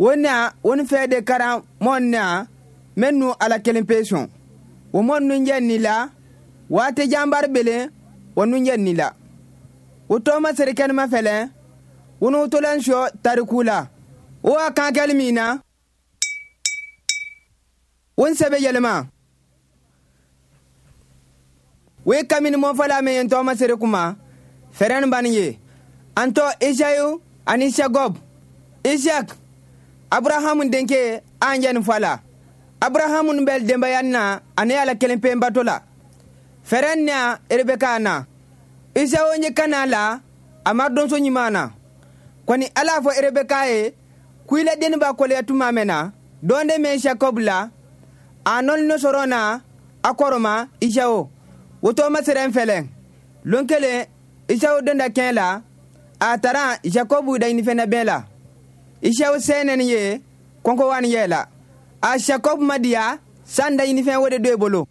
Wo na won fɛ de karan mɔn na mennu ala kelen pe sɔn. Wo mɔn nun jɛ ni la waati janbar belen wo nun jɛ ni la. Wo tɔɔma seri kɛnɛma fɛlɛ wonu tolan sɔ tariku la. Wo a kan kɛli min na won sɛbɛ yɛlɛma. Wo ye kamini mɔfɔla min ye tɔɔma seri kuma fɛrɛn bani ye. An tɔ Isayu ani Jacob. Isaac Abrahamu denkɛ an jɛ nin fɔ la. Abrahamu bɛ denbaya na ani ala kelen pe bato la. Fɛrɛn na Rebeka na. Isawo ye kana la a ma donso ɲuman na. Kɔni ala fɔ Rebeka ye ko i la denni b'a kɔlɛya tuma mɛn na dɔn de mɛn Jacob la a nɔlino sɔrɔ na a kɔrɔma Isawo. Wo tɔɔma sɛrɛn fɛlɛ. Lon kelen Isawo donda kɛn la a taara Jacob da ɲinifɛn bɛɛ la. Isawo sɛnɛni ye kɔnkɔwani yɛ la. A Jacob ma diya san da ɲinifɛn wo de do e bolo.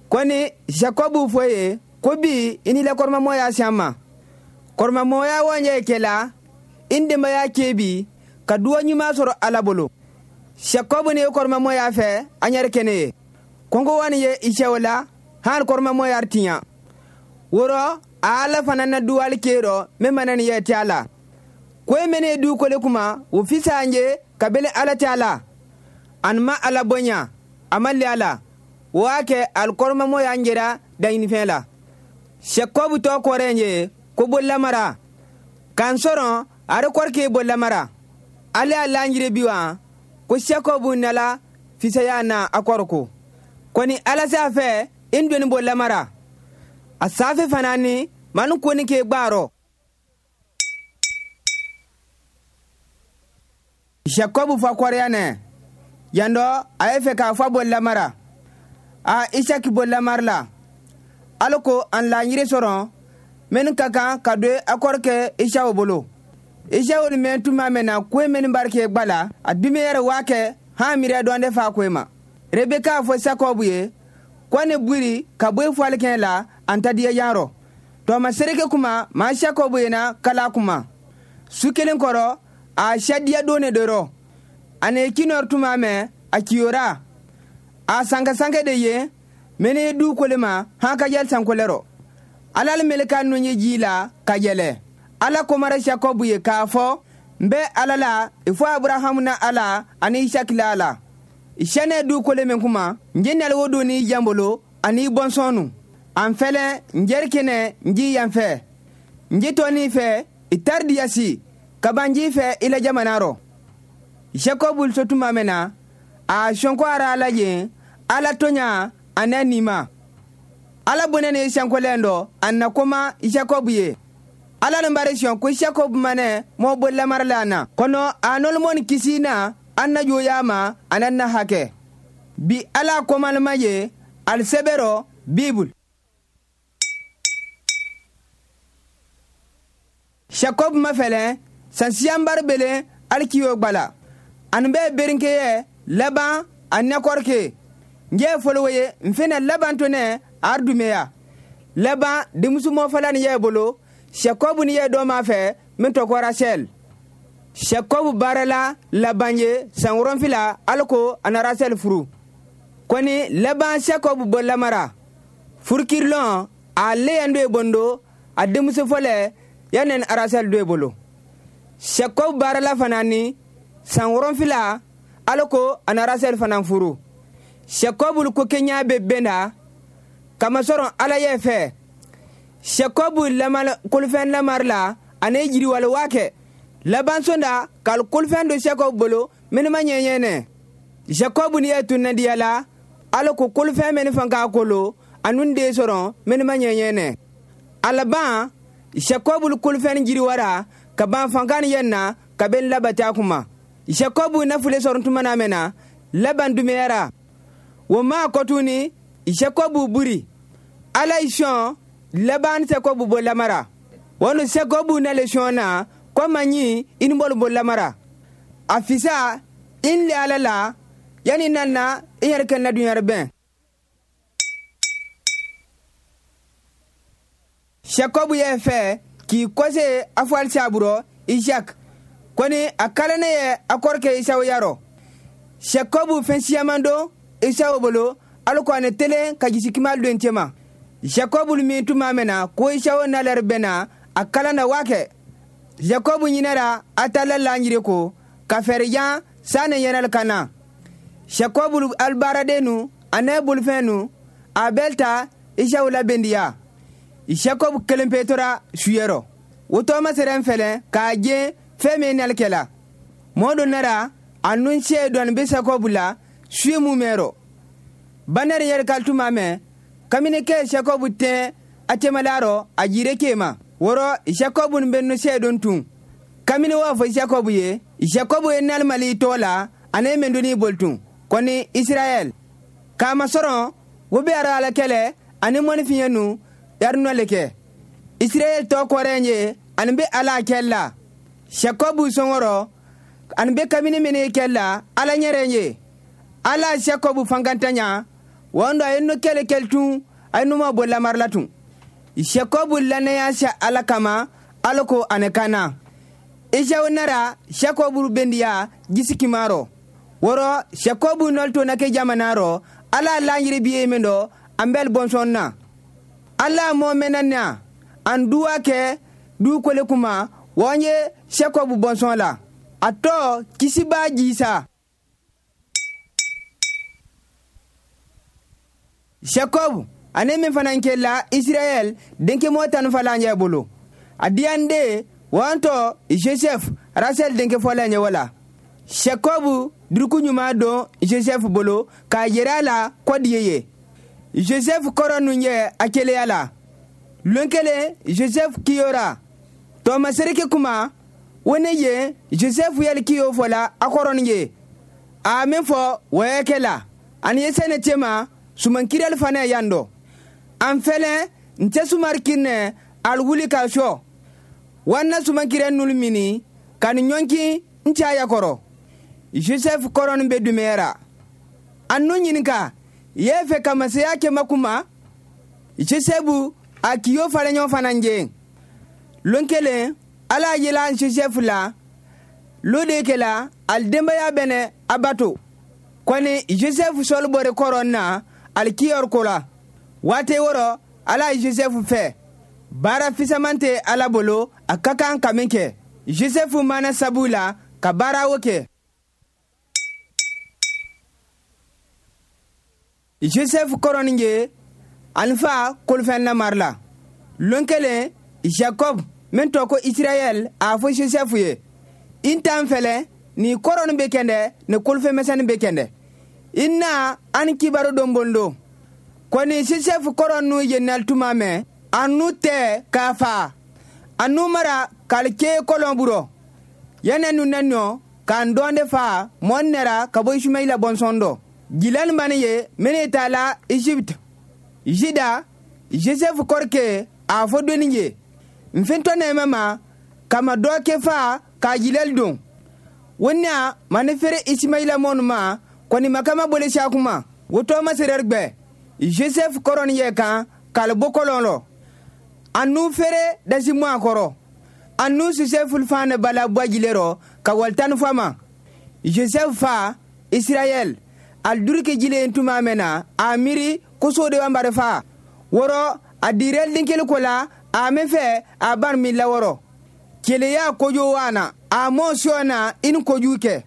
Kɔni Jacob fɔ ye ko bi i ni la kɔrɔmamɔya sian ma. Kɔrɔmamɔya wɔn ye kɛ la i ni denbaya kɛ bi ka duwa ɲuman sɔrɔ ala bolo. Jacob ni kɔrɔmamɔya fɛ an yɛrɛ kɛnɛ ye. Kɔnkɔwani ye Isawo la han kɔrɔmamɔya tiɲɛ. Wɔrɔ a ala fana na duwali kɛ min mana ni yɛ tɛ a la. Ko e mene du kole kuma o fisa an ye ka bele ala tɛ a la. An ma ala bonya a ma le a la. O y'a kɛ alikɔrɔmamɔ y'an jɛra daɲinifɛn la. Jacob tɔ kɔrɔ ye ko bolilamara. K'an sɔrɔ a kɔrɔ k'e bolilamara. Ale y'a laɲini bi wa ko Jacob nala fisaya na a kɔrɔ ko. Kɔni ala s'a fɛ i doni bolilamara. A safe fana ni manu koni k'e gbaarɔ. Jacob fa kɔrɔya nɛ yan dɔ a ye fɛ k'a fɔ bolilamara. A Isaki bolilamara la. Ala ko an laɲini sɔrɔ minnu ka kan ka don a kɔrɔkɛ Isawo bolo. Isawo ni mɛn tuma mɛn na ko minnu barike gba la a dimi yɛrɛ waa kɛ han miiriya dɔn de fa ko ma. Rebeka fɔ Jacob ye ko ne buri ka bɔ fɔlikɛn la an ta diya yan rɔ. Tɔma sereke kuma maa Jacob ye na kala kuma. Su kelen kɔrɔ a sadiya don ne dɔrɔ. A ne kinɔr tuma mɛn a kiyora. A sanka sanke de ye mene du kole ma han ka yɛl sankolɛrɔ. Ala le meleka nun ye ji la ka yɛlɛ. Ala komara Jacob ye k'a fɔ n bɛ ala la i fɔ Abrahamu na ala ani Isaki la ala. Sɛnɛ du kole min kuma n je nali wo don n'i jan bolo ani i bɔnsɔn nu. An fɛlɛ n jɛri kɛnɛ n ji yan fɛ. N ji tɔni fɛ i tari diyasi ka ban ji fɛ i la jamana rɔ. Jacob so tuma mɛn na a sɔnko ara ala yen ala toɲa a n'a nima. Ala bonɛ ne sankolɛn dɔ a na koma Jacob ye. Ala nin bari sɔn ko Jacob manɛ mɔ bolilamara la na. Kɔnɔ a nɔlɔmɔni kisi na an na joya ma a na na hakɛ. Bi ala komalima ye alisɛbɛrɔ Bibul. Jacob ma fɛlɛ sansiyanbari belen alikiyo gbala. Ani bɛ berinkeyɛ laban a nɛkɔrike. N jɛ fɔlɔ ye n fɛnɛ laban to nɛ ardumeya. Laban denmuso mɔfɔla ni yɛ bolo Jacob ni yɛ dɔ ma fɛ min tɔgɔ Rachel. Jacob baarala laban ye san 7 ala ko a na Rachel furu. Kɔni laban Jacob bɔlamara. Furukirilɔn a leyan do ye bondo a denmuso fɔlɛ yanni Rachel do ye bolo. Jacob baarala fana ni san 7 ala ko a na Rachel fana furu. Jacob ko kenya bɛ bɛn na kamasɔrɔ ala yɛ fɛ. Jacob kolofɛn lamari la ani jiriwale waa kɛ. Laban sonda k'al kolofɛn do Jacob bolo minnu ma ɲɛɲɛnɛ. Jacob ni yɛ tunnadiya la ala ko kolofɛn minnu fan k'a kolo a nun den sɔrɔ minnu ma ɲɛɲɛnɛ. A laban Jacob kolofɛn jiriwara ka ban fankan yɛ na ka bɛn labata kuma. Jacob nafule sɔrɔ tuma na mɛn na laban dumeyara. Wo ma kɔtuni Jacob buri. Ala yi sɔn laban Jacob bɔlamara. Wonu Jacob nale sɔn na kɔma ɲi i ni bɔlu bɔlamara. A fisa in le ala la yanni nana i yɛrɛ kɛ na dunyarɛ bɛn. Jacob yɛ fɛ k'i kɔse a fɔ alisaburɔ Isaac. Kɔni a kalane ye a kɔrɔkɛ Isawo yarɔ. Jacob fɛn siyaman don Isawo bolo, alu ko ani telen ka jisikima don cɛma. Jacob min tuma mɛn na ko Isawo nalɛri bɛna a kalan na waa kɛ. Jacob ɲinɛra a ta la laɲiri ko ka fɛɛrɛ sani yɛnɛli ka na. Jacob alibaaraden nu a n'a bolifɛn nu a bɛɛ ta Isawo la bendiya. Jacob kelen pe tora suyɛrɔ. O tɔɔma sɛrɛn fɛlɛ k'a jɛ fɛn min nali kɛla. Mɔɔ dɔ nara a nun se dɔɔni bɛ Jacob la suye mun mɛrɔ. Banɛri yɛrɛ ka tuma mɛn kamini kɛ Jacob tɛ a cɛmalarɔ a jire kema. Wɔrɔ Jacob bɛ nu se don tun. Kamini w'a fɔ Jacob ye, Jacob ye nalimali tɔ la ani mɛn doni bolitun. Kɔni Israɛl. K'a masɔrɔ wo bɛ ara ala kɛlɛ ani mɔnifiɲɛ nu yarinɔ le kɛ. Israɛl tɔ kɔrɔ ye ani bɛ ala kɛ la. Jacob sɔngɔrɔ ani bɛ kamini mini kɛ la ala ɲɛrɛ ye. Ala Jacob fankantanya wɔn dɔ a ye nu kɛlɛ kɛlɛ tun a ye nu ma bɔ lamari la tun. Jacob lanaya sa ala kama ala ko ani kana. Isawo nara Jacob bendiya jisikimarɔ. Wɔrɔ Jacob nɔli na kɛ jamana rɔ ala laɲiri biye min dɔ an bɛɛ bɔnsɔn na. Ala mɔ mɛnna na an duwa kɛ dukolo kuma wɔn ye Jacob bɔnsɔn la. A tɔ kisiba jisa. Jacob ane min fana kɛla Israɛl denkɛ mɔ tan fɔlɔ ɲɛ bolo. A diyan de wɔn tɔ Joseph Rachel denkɛ fɔlɔ ɲɛ wala. Jacob duruku ɲuman don Joseph bolo k'a yira a la kɔdi ye. Joseph kɔrɔ nun ye a keleya la. Lon kelen Joseph kiyora. Tɔɔmasereke kuma wo ne ye Joseph yɛli kiyo fɔla a kɔrɔ ye. A min fɔ wɔyɛ kɛ la. Ani ye sɛnɛ cɛma sumankirali fana yan dɔ. An fɛlɛ n tɛ sumari kirinɛ al wuli ka sɔ. Wanna sumankirɛ nulu mini ka ni ɲɔnkin n caya kɔrɔ. Joseph kɔrɔnin bɛ dumɛyara. An nu ɲininka ye fɛ ka masaya kɛ makuma. Joseph a kiyo falen ɲɔgɔn fana je. Lon kelen ala yela Joseph la lo de kɛla al denbaya bɛnɛ a bato. Kɔni Joseph sɔli bɔri kɔrɔn na al kiyɔrɔ ko la. Waati wɔrɔ ala ye Joseph fɛ. Baara fisaman tɛ ala bolo a ka kan ka min kɛ. Joseph mana sabu la ka baara o kɛ. Joseph kɔrɔnin ye ani fa kolofɛn lamari la. Lon kelen Jacob min tɔ ko Israɛl a fɔ Joseph ye. I t'an fɛlɛ ni kɔrɔnin bɛ kɛndɛ ni kolofɛn bɛ kɛndɛ. I na an kibaru don bondo. Kɔni Joseph kɔrɔ nu ye nali tuma mɛn a nu tɛ k'a fa. A nu mara k'ale kɔlɔn burɔ. Yɛnɛ nu nɛ nɔ k'an dɔn de fa mɔn nɛra ka bɔ Ismaila bɔnsɔn dɔ. Jilani bani ye minnu t'a la Egypte. Jida Joseph kɔrɔkɛ a fɔ doni ye. N fɛntɔ nɛɛmɛ ma kama dɔ kɛ fa k'a jilali don. Wona mani feere Ismaila mɔnu ma kɔni makama bole sakuma. Wotɔ ma serɛri gbɛ. Joseph kɔrɔni yɛ kan k'ale bɔ kɔlɔn lɔ. A nu feere dasi mu a kɔrɔ. A nu Joseph fan bala bɔ jile rɔ ka wali fɔ ma. Joseph fa Israɛl al durike jile tuma mɛn na a miiri ko so de b'an fa. Wɔrɔ a dirɛ den ko la a min fɛ a ban min lawɔrɔ. Keleya kojo wana a mɔ sɔ na i ni kojugu kɛ.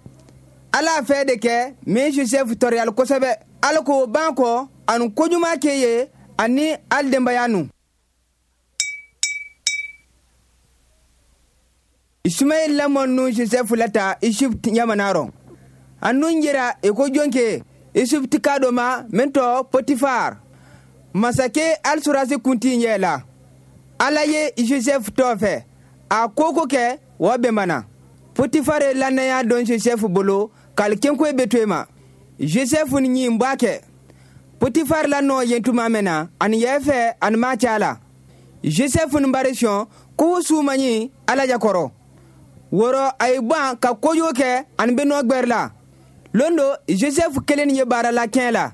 Ala fɛ de kɛ min Joseph tɔrɔyali kosɛbɛ. Ala k'o ban kɔ ani kojuman kɛ ye ani ali denbaya nu. Ismail lamɔ nu Joseph lata Egypte jamana rɔ. A nun jira i ko jɔnke Egypte ka dɔ ma min tɔ Potifar. Masakɛ alisurasi kunti ɲɛ la. Ala ye Joseph tɔ fɛ. A ko ko kɛ o bɛnbana. Potifar ye lanaya dɔn Joseph bolo k'ale kenkoye bɛ to ma. Joseph ni ɲin b'a kɛ. Potifar la nɔ yen tuma mɛn na ani yɛ fɛ ani ma ca la. Joseph ni bari sɔn ko su ma ɲi ala jakɔrɔ. Wɔrɔ a ye ban ka kojugu kɛ ani bɛ nɔ gbɛrɛ la. Lon do Joseph kelen ye baara la kɛn la.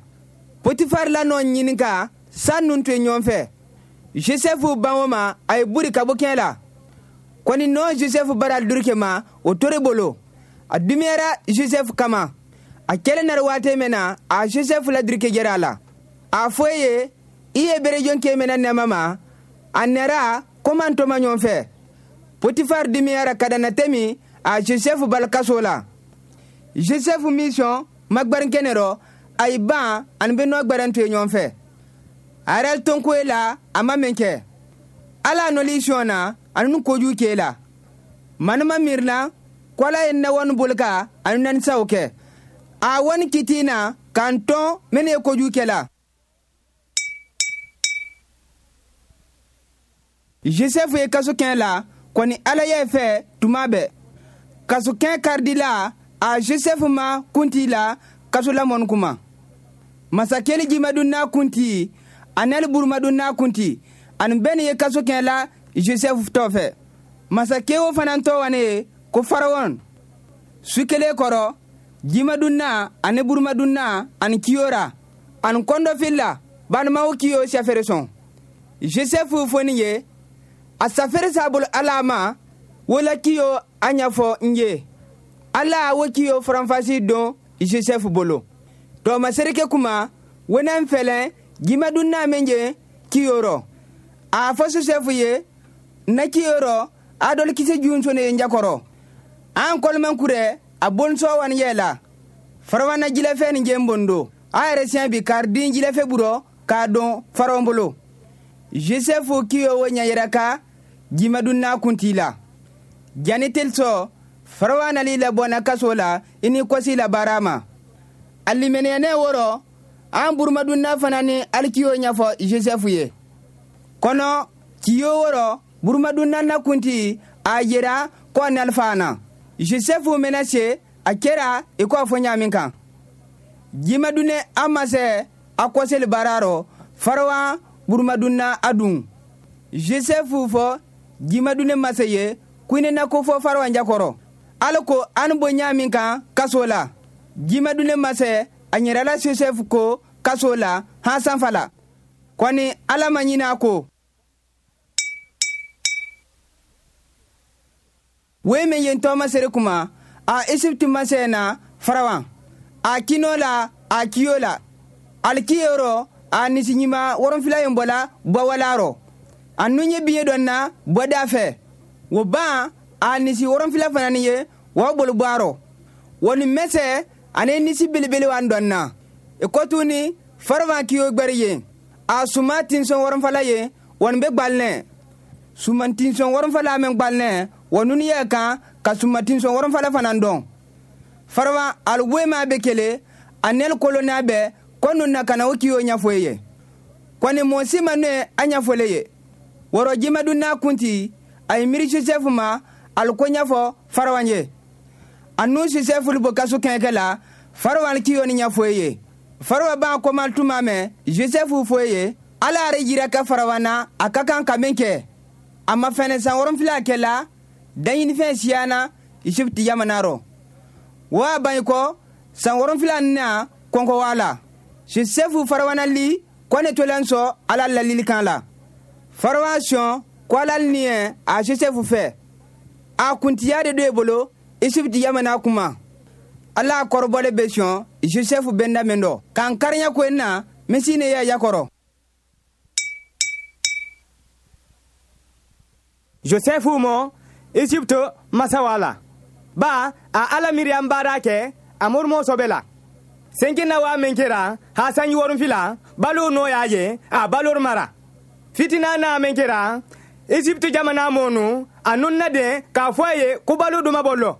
Potifar la nɔ ɲininka san nun to ɲɔgɔn fɛ. Joseph ban o ma a ye buri ka bɔ kɛn la. Kɔni nɔ Joseph bara duruke ma o tore bolo. A dumiyara Joseph kama. A kɛlen nari waati min na, a Joseph la duruke jɛra a la. A fɔ e ye, i ye berejon kɛ mɛnɛ nɛma ma, a nɛra komi an tɔma ɲɔgɔn fɛ. Potifar dumiyara ka dana tɛmi a Joseph bali kaso la. Joseph mission magbarin kɛnɛ rɔ, a yi ban ani bɛ nɔ gbɛrɛn to ye ɲɔgɔn fɛ. A yɛrɛ tonko e la, a ma min kɛ. Ala nɔli sɔn na, ani nu kojugu k'e la. Manuma miirina, ko Ala ye nawani bolika ani nanisaw kɛ. A wani kiti na k'an tɔn minnu ye kojugu kɛ la. Joseph ye kaso kɛn la, kɔni Ala y'a fɛ tuma bɛɛ. Kaso kɛn karidila, a Joseph ma kunti la kaso lamɔni kuma. Masakɛli jimadun n'a kunti, a nali burumadun n'a kunti, ani bɛɛ ni ye kaso kɛn la Joseph tɔ fɛ. Masakɛ o fana tɔ wane ye ko Farawɔn. Su kelen kɔrɔ, jimadunna ani burumadunna ani kiyora ani kɔndɔfila balimaw kiyo safere sɔn. Joseph foni ye, a safere s'a bolo Ala ma, wola kiyo a ɲɛfɔ n ye. Ala wo kiyo faranfasi don Joseph bolo. Tɔɔmasereke kuma, wɛnɛn fɛlɛn jimadunna min je kiyo rɔ. A fɔ Joseph ye, na kiyo rɔ, a dɔli kisɛ junsone ye njakɔrɔ. An kɔlɔmɛn kurɛ, a bonsɔ wani yɛ la. Farawana jilɛfɛ ni jɛ bondo. A yɛrɛ siɲɛ bi kari den jilɛfɛ burɔ k'a don farawɔn bolo. Joseph kiyo wo ɲɛ ka jimadunna kunti la. Jani telsɔ, farawana li labɔnna kaso la, i ni kɔsi la baara ma. A limeniyɛnɛ wɔrɔ, an burumadunna fana ni alikiyo ɲɛfɔ Joseph ye. Kɔnɔ, kiyo wɔrɔ, burumadunna na kunti, a yera ko a nalifana. Joseph mɛnɛ se, a kɛra i ko a fɔ ɲa min kan. Jimadunɛ a ma se a kɔseli baara rɔ, farawan burumadunna a dun. Joseph fɔ jimadunɛ masa ye, ko ne na ko fɔ farawan jakɔrɔ. Ala ko an bɔ ɲa min kan kaso la. Jimadunɛ masa a ɲɛrɛla Joseph ko kaso la han sanfa la. Kɔni Ala ma ɲinɛ a ko. Wei min yen tɔɔma sere kuma, a Egypte masɛ na farawan. A kino la, a kiyo la. Alikiyɔrɔ, a nisiɲima wɔrɔnfila yen bɔla bɔwala rɔ. A nun ye biɲɛ dɔ na bɔda fɛ. Wo ban, a nisi wɔrɔnfila fana ni ye, wa bolo bɔ a rɔ. Wo ni mɛsɛ, ani nisi belebele wan dɔn na. I kɔtuni, farawan kiyo gbɛri ye. A suma tinsɔn wɔrɔnfala ye, wɔni bɛ gbalinɛ. Suman tinsɔn wɔrɔnfala mɛn gbalinɛ, wa nunu yɛ kan ka suma tinsɔn wɔrɔnfala fana dɔn. Farawan aliboye ma bɛ kele, a nɛli kolo n'a bɛɛ, ko nun na kana o kiyo ɲɛfɔ ye. Kɔni mɔɔ si ma ne a ɲɛfɔle ye. Wɔrɔ jimadun n'a kunti, a ye miiri Joseph ma, ali ko ɲɛfɔ farawan ye. A nu Joseph bɔ kaso kɛnkɛ la, farawan kiyo ni ɲɛfɔ ye. Farawan b'a kɔma tuma mɛn, Joseph fɔ ye, Ala yɛrɛ yira ka farawan na a ka kan ka min kɛ. A ma fɛnɛ san wɔrɔnfila kɛ la, daɲinifɛn siyana Egypte jamana rɔ. Wa ban kɔ, san wɔrɔnfila na kɔnkɔ wa la. Joseph farawana li ko ne tolan sɔn Ala lalili kan la. Farawan sɔn ko Ala niɛ a Joseph fɛ. A kuntiya de do e bolo Egypte jamana kuma. Ala kɔrɔbɔle bɛ sɔn Joseph bɛnda min dɔ. K'an kariɲa ko na, misi ne yɛ yakɔrɔ. Joseph mɔ Egypte masawa la. Ba a Ala miiriya baara kɛ a morimo sɔbɛ la. Senki na wa min kɛra ha sanji wɔrɔnfila balo nɔ y'a ye a balo mara. Fitina na min kɛra Egypte jamana mɔnu a nunna den k'a fɔ a ye ko balo duma bɔlɔ.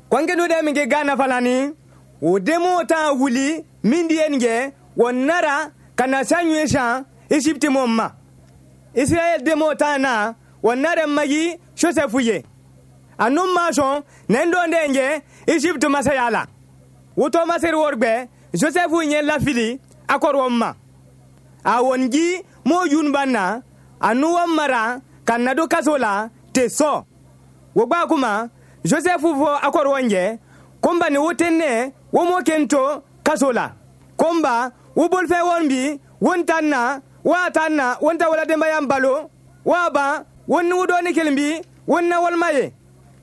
Kɔnkɛ de min kɛ Ghana falani o demo ta wuli min di yen kɛ o nara ka na sanyu san Egypte mɔ ma. Israël demo ta na o nara magi Joseph ye. A nun ma sɔn nɛn dɔn den kɛ Egypte masaya la. Woto masiri wɔrgbɛ Joseph ɲɛ lafili a kɔrɔ ma. A wɔnji mo yun banna a nu wɔn mara ka na do kaso la te sɔ. Wo gba kuma Joseph fɔ a kɔrɔ wɔn jɛ ko n ba ni wo tɛ ne wo mo ken to kaso la. Ko n ba wo bolifɛn wɔn bi wo n ta na wa ta na wo n ta wala denbaya balo wa ban wo ni wo dɔɔni kelen bi Wonna walma ye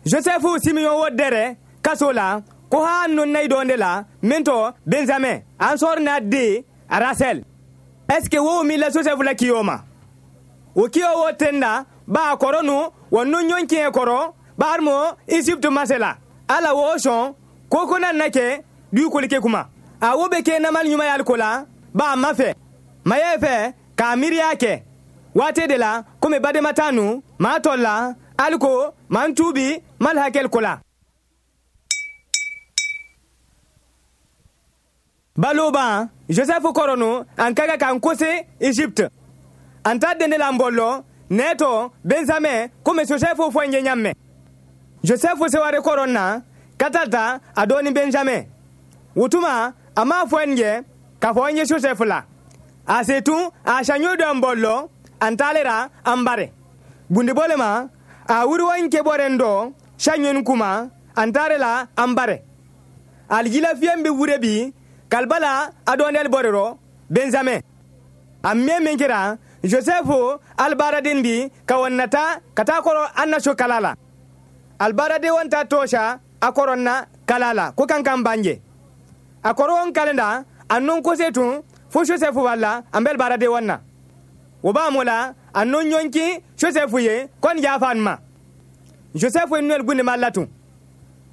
Joseph Simeon wo dɛrɛ kaso la ko ha non nay donde la min to Benjamin an sor na de Rachel. Est ce que wo mi la Joseph la kiyo ma wo kiyo wo tenda ba kɔrɔ nu wa nu ɲɔn tiɲɛ kɔrɔ barimo Egypte masela ala wo sɔn ko ko na na kɛ dugukolo kɛ kuma a wo bɛ kɛ namali ɲuman y'ale ko la ba a ma fɛ maya fɛ k'a miiriya kɛ waati de la komi badenma t'a nu maa tɔ la hali ko maa tuubi mali hakɛli ko la. Balo ban Joseph kɔrɔ nu an ka kan k'an kose Egypte an t'a den de la n bɔlɔ nɛɛtɔ Benjamin komi Joseph fɔ n ye ɲa mɛn. Joseph seware kɔrɔ na ka taa ta a dɔɔni Benjamin wotuma a m'a fɔ n ye k'a fɔ n ye Joseph la a se tun a saɲɔ dɔ n bɔlɔ an taalera an bare bundibɔle ma a wuriwa n kebɔren dɔ saɲɔni kuma an taare la an bare alijila fiyɛn bɛ wure bi kalibala a dɔɔnɛli bɔrerɔ Benjamin a mɛ min kɛra Joseph alibaraden bi ka wɔn nata ka taa kɔrɔ an na so kala la albaraden wɔn ta tɔɔsa a kɔrɔ na kala la ko kan kan banje a kɔrɔ wɔn kalenda a non kose tun fo Joseph wala an bɛ albaraden wɔn na o b'a mo la a non ɲɔnki Joseph ye kɔni y'a ma Joseph ye nɔli gunde ma la tun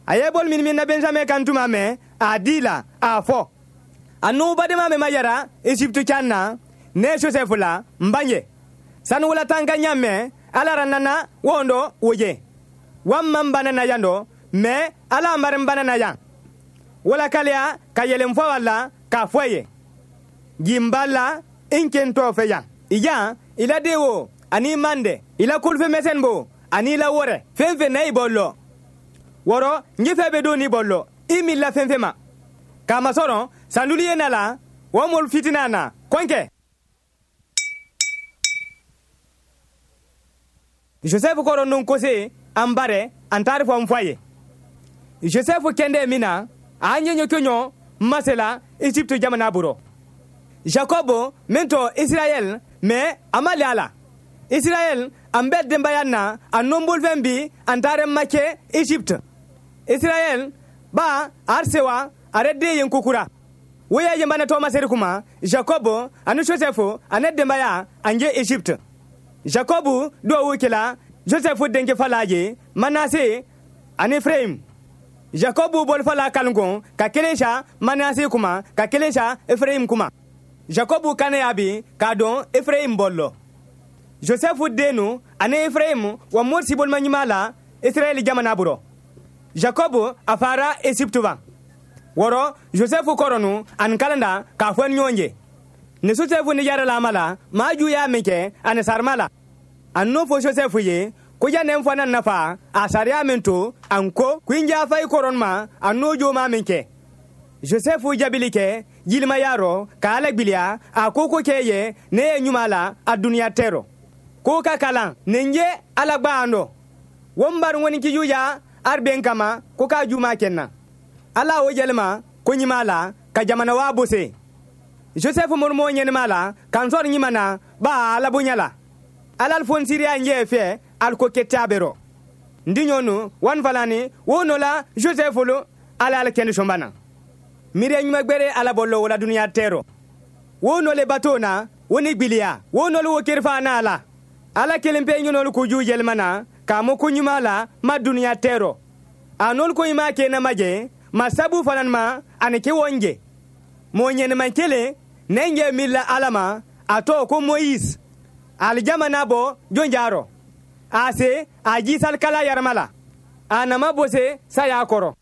a ye bol min na Benjamin kan tuma mɛ a di la a fɔ a n'o badenma mɛ ma yara Egypte can na ne Joseph la n banje sanu wala tan ka ɲa mɛ ala ra nana wondo woje wan man bana na yan dɔ mɛ ala n bari n bana na yan wala kaliya ka yɛlɛn fɔ wala k'a fɔ ye jimba la n ken tɔ fɛ yan ijan i la den wo ani mande i la kulufɛn mɛsɛn bo ani la wɔrɛ fɛn fɛn na i bɔlɔ wɔrɔ n fɛn bɛ don ni bɔlɔ i mi la fɛn fɛn ma k'a masɔrɔ sanduli ye na la wa mɔlu fitina na kɔnkɛ. Joseph kɔrɔ nun kose an bare an taari fɔ n fɔ a ye Joseph kɛndɛ min na a ɲɛ ɲɔ masela Egypte jamana bolo Jacob min tɔ Israël mɛ a ma le a la Israël an bɛɛ denbaya na a nɔnbolifɛn bi an taara ma kɛ Egypte Israël ba a sewa a yɛrɛ den ye kokura wo y'a yenbana tɔgɔma seri kuma Jacob ani Joseph ani denbaya an ye Egypte Jacob duwawu kɛla Joseph denkɛ fala ye Manase ani Efraim Jacob bolifala kalinkon ka kelen sa Manase kuma ka kelen sa Efraim kuma Jacob kane ya bi k'a dɔn Efraim bɔlɔ Joseph denu ani Efraim wa mori bolima ɲuman la Israɛl jamana bolo Jacob a fara Egypte wa wɔrɔ Joseph kɔrɔnu ani kalanda k'a fɔ ni ɲɔgɔn ye ni Joseph ni yɛrɛ lama la maa ju y'a min kɛ ani sarima la a n'o fɔ Joseph ye ko ja ne fana nafa a sariya min to an ko ko n jafa i kɔrɔn ma a n'o jo ma min kɛ Joseph jaabili kɛ jilimaya rɔ k'a ala gbiliya a ko ko kɛ ye ne ye ɲuman la a duniya tɛ rɔ ko ka kalan nin ye ala gbaan dɔ wo n bari ŋɔni kiju ya arben kama ko k'a juma kɛ na ala o yɛlɛma ko ɲuman la ka jamana waa bose Joseph morimo ɲɛnɛma la k'an sɔrɔ ɲuman na ba ala bonya la ala fonsiriya ɲɛ fɛ aliko kɛ bɛrɔ n diɲɔnu wan falani wo nɔ la Joseph lo ala ala kɛnɛ sɔnba na miiriya ɲuman gbɛrɛ ala bɔlɔ wala duniya tɛrɔ wo nɔ le bato na wo ni gbiliya wo nɔ le wo kerifa n'a la ala kelen pe ɲinɔlu koju yɛlɛma na k'a mɔ ko ɲuman la ma duniya tɛrɔ a nɔlu ko ɲuman kɛ na ma jɛ ma sabu fana ma ani kɛ wɔn jɛ mɔɔ ɲɛnɛman kelen ne ɲɛ mi la ala ma a tɔgɔ ko Moïse alijama n'a bɔ jonjarɔ a se a jisalikala yarama la a nama bose saya kɔrɔ.